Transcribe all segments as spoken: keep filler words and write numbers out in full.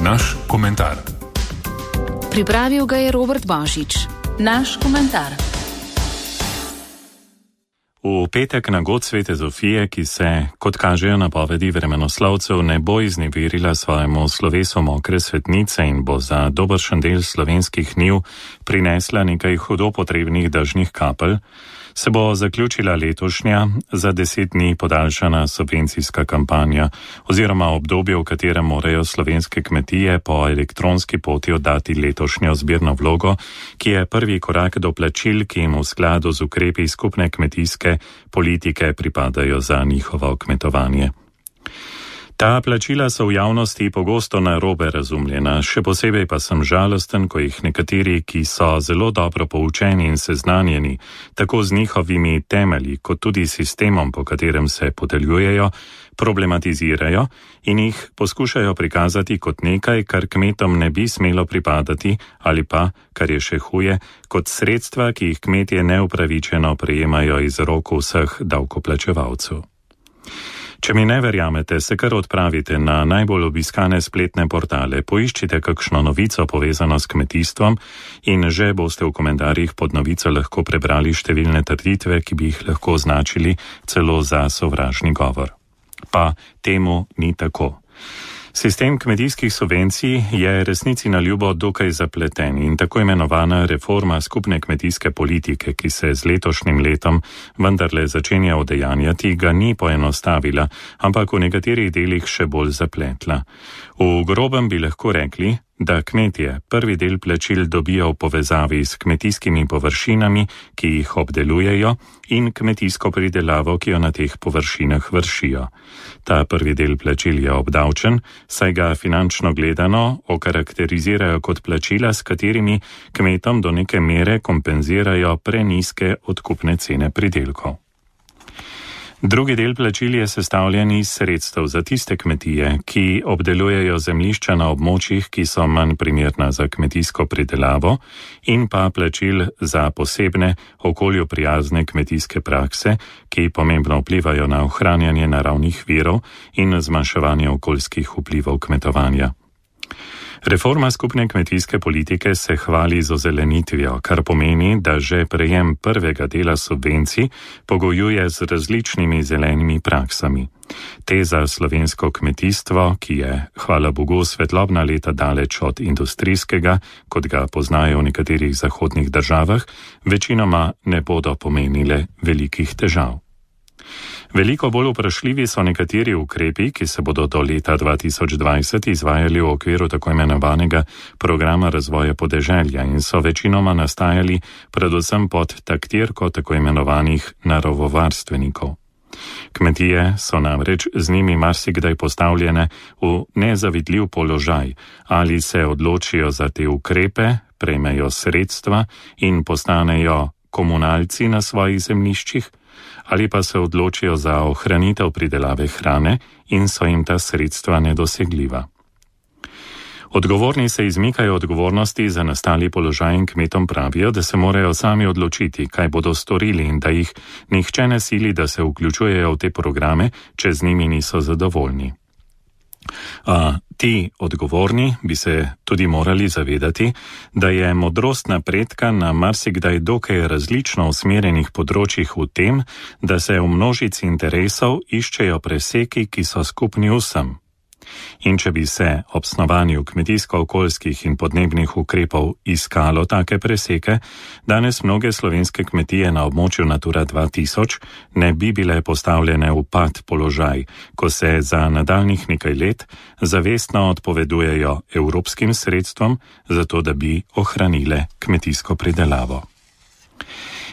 Naš komentar. Pripravil ga je Robert Bašič. Naš komentar. V petek na god Svete Zofije, ki se, kot kažejo napovedi vremenoslovcev, ne bo izneverila svojemu slovesu mokre svetnice in bo za dobršen del slovenskih njiv prinesla nekaj hudo potrebnih dežnih kapelj, se bo zaključila letošnja, za deset dni podaljšana subvencijska kampanja oziroma obdobje, v katerem morajo slovenske kmetije po elektronski poti oddati letošnjo zbirno vlogo, ki je prvi korak do plačil, ki jim v skladu z ukrepi skupne kmetijske politike pripadajo za njihovo kmetovanje. Ta plačila so v javnosti pogosto narobe razumljena, še posebej pa sem žalosten, ko jih nekateri, ki so zelo dobro poučeni in seznanjeni, tako z njihovimi temelji, kot tudi sistemom, po katerem se podeljujejo, problematizirajo in jih poskušajo prikazati kot nekaj, kar kmetom ne bi smelo pripadati, ali pa, kar je še huje, kot sredstva, ki jih kmetje neupravičeno prejemajo iz rok vseh davkoplačevalcev. Če mi ne verjamete, se kar odpravite na najbolj obiskane spletne portale, poiščite kakšno novico povezano s kmetijstvom in že boste v komentarjih pod novico lahko prebrali številne trditve, ki bi jih lahko označili celo za sovražni govor. Pa temu ni tako. Sistem kmetijskih subvencij je resnici na ljubo dokaj zapleten in tako imenovana reforma skupne kmetijske politike, ki se z letošnjim letom vendarle začenja udejanjati, ga ni poenostavila, ampak v nekaterih delih še bolj zapletla. V grobem bi lahko rekli, da kmetje prvi del plačil dobijo v povezavi s kmetijskimi površinami, ki jih obdelujejo, in kmetijsko pridelavo, ki jo na teh površinah vršijo. Ta prvi del plačil je obdavčen, saj ga finančno gledano okarakterizirajo kot plačila, s katerimi kmetom do neke mere kompenzirajo prenizke odkupne cene pridelkov. Drugi del plačil je sestavljen iz sredstev za tiste kmetije, ki obdelujejo zemljišča na območjih, ki so manj primerna za kmetijsko pridelavo, in pa plačil za posebne okolju prijazne kmetijske prakse, ki pomembno vplivajo na ohranjanje naravnih virov in zmanjševanje okoljskih vplivov kmetovanja. Reforma skupne kmetijske politike se hvali z ozelenitvijo, kar pomeni, da že prejem prvega dela subvencij pogojuje z različnimi zelenimi praksami. Te za slovensko kmetijstvo, ki je, hvala Bogu, svetlobna leta daleč od industrijskega, kot ga poznajo v nekaterih zahodnih državah, večinoma ne bodo pomenile velikih težav. Veliko bolj vprašljivi so nekateri ukrepi, ki se bodo do leta dva tisoč dvajset izvajali v okviru tako imenovanega programa razvoja podeželja in so večinoma nastajali predvsem pod taktirko tako imenovanih naravovarstvenikov. Kmetije so namreč z njimi marsikdaj postavljene v nezavidljiv položaj, ali se odločijo za te ukrepe, prejmejo sredstva in postanejo komunalci na svojih zemljiščih, ali pa se odločijo za ohranitev pridelave hrane in so jim ta sredstva nedosegljiva. Odgovorni se izmikajo odgovornosti za nastali položaj in kmetom pravijo, da se morajo sami odločiti, kaj bodo storili in da jih nihče ne sili, da se vključujejo v te programe, če z njimi niso zadovoljni. A ti odgovorni bi se tudi morali zavedati, da je modrost napredka na marsikdaj dokaj različno usmerjenih področjih v tem, da se v množici interesov iščejo preseki, ki so skupni vsem. In če bi se ob snovanju kmetijsko-okoljskih in podnebnih ukrepov iskalo take preseke, danes mnoge slovenske kmetije na območju Natura dva tisoč ne bi bile postavljene v pad položaj, ko se za nadaljnjih nekaj let zavestno odpovedujejo evropskim sredstvom, zato da bi ohranile kmetijsko pridelavo.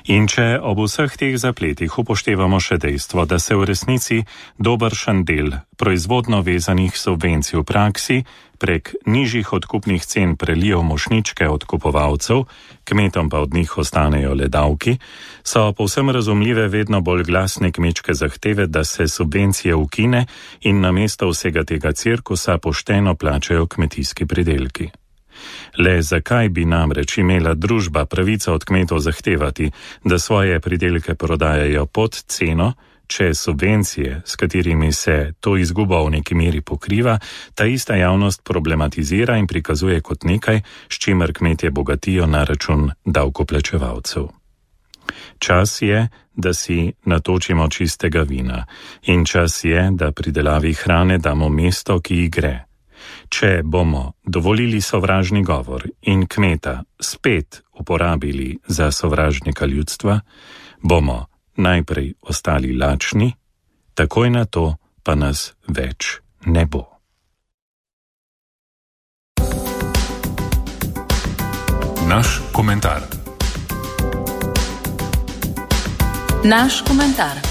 In če ob vseh teh zapletih upoštevamo še dejstvo, da se v resnici dobršen del proizvodno vezanih subvencij v praksi prek nižjih odkupnih cen prelijo mošnjičke odkupovalcev, kmetom pa od njih ostanejo le davki, so povsem razumljive vedno bolj glasne kmečke zahteve, da se subvencije ukine in namesto vsega tega cirkusa pošteno plačajo kmetijski pridelki. Le zakaj bi namreč imela družba pravico od kmetov zahtevati, da svoje pridelke prodajajo pod ceno, če subvencije, s katerimi se to izgubo v neki meri pokriva, ta ista javnost problematizira in prikazuje kot nekaj, s čimer kmetje bogatijo na račun davkoplačevalcev. Čas je, da si natočimo čistega vina in čas je, da pridelavi hrane damo mesto, ki ji gre. Če bomo dovolili sovražni govor in kmeta spet uporabili za sovražnika ljudstva, bomo najprej ostali lačni, takoj na to pa nas več ne bo. Naš komentar. Naš komentar.